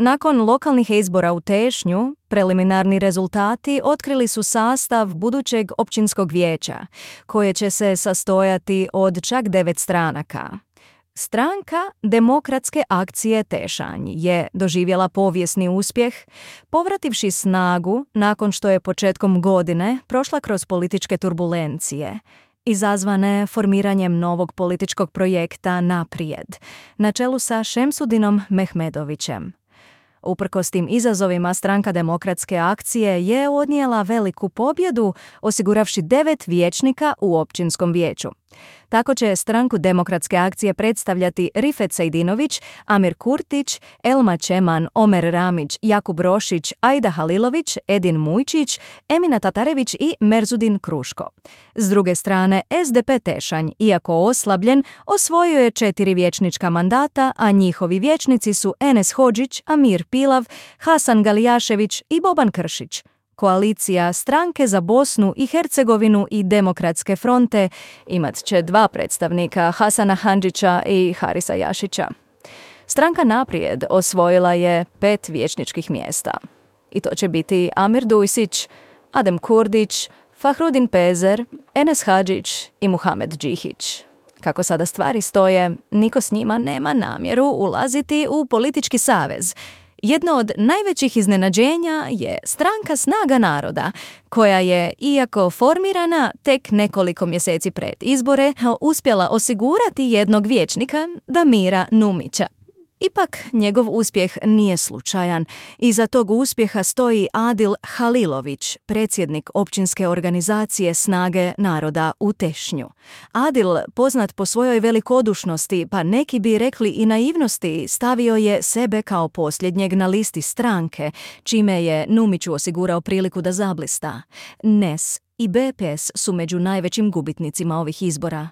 Nakon lokalnih izbora u Tešnju, preliminarni rezultati otkrili su sastav budućeg općinskog vijeća, koje će se sastojati od čak 9 stranaka. Stranka Demokratske akcije Tešanj je doživjela povijesni uspjeh, povrativši snagu nakon što je početkom godine prošla kroz političke turbulencije, izazvane formiranjem novog političkog projekta Naprijed, na čelu sa Šemsudinom Mehmedovićem. Uprkos tim izazovima, Stranka Demokratske akcije je odnijela veliku pobjedu, osiguravši 9 vijećnika u općinskom vijeću. Tako će Stranku Demokratske akcije predstavljati Rifet Sejdinović, Amir Kurtić, Elma Čeman, Omer Ramić, Jakub Rošić, Aida Halilović, Edin Mujčić, Emina Tatarević i Merzudin Kruško. S druge strane, SDP Tešanj, iako oslabljen, osvojio je 4 vijećnička mandata, a njihovi vijećnici su Enes Hodžić, Amir Pilav, Hasan Galijašević i Boban Kršić. Koalicija Stranke za Bosnu i Hercegovinu i Demokratske fronte imat će 2 predstavnika, Hasana Handžića i Harisa Jašića. Stranka Naprijed osvojila je 5 vijećničkih mjesta. I to će biti Amir Dujsić, Adem Kurdić, Fahrudin Pezer, Enes Hadžić i Muhamed Džihić. Kako sada stvari stoje, niko s njima nema namjeru ulaziti u politički savez. Jedno od najvećih iznenađenja je Stranka Snaga naroda, koja je, iako formirana tek nekoliko mjeseci pred izbore, uspjela osigurati jednog vijećnika, Damira Numića. Ipak, njegov uspjeh nije slučajan. Iza tog uspjeha stoji Adil Halilović, predsjednik općinske organizacije Snage naroda u Tešnju. Adil, poznat po svojoj velikodušnosti, pa neki bi rekli i naivnosti, stavio je sebe kao posljednjeg na listi stranke, čime je Numiću osigurao priliku da zablista. NES i BPS su među najvećim gubitnicima ovih izbora.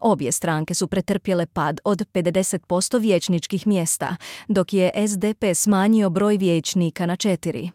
Obje stranke su pretrpjele pad od 50% vijećničkih mjesta, dok je SDP smanjio broj vijećnika na 4.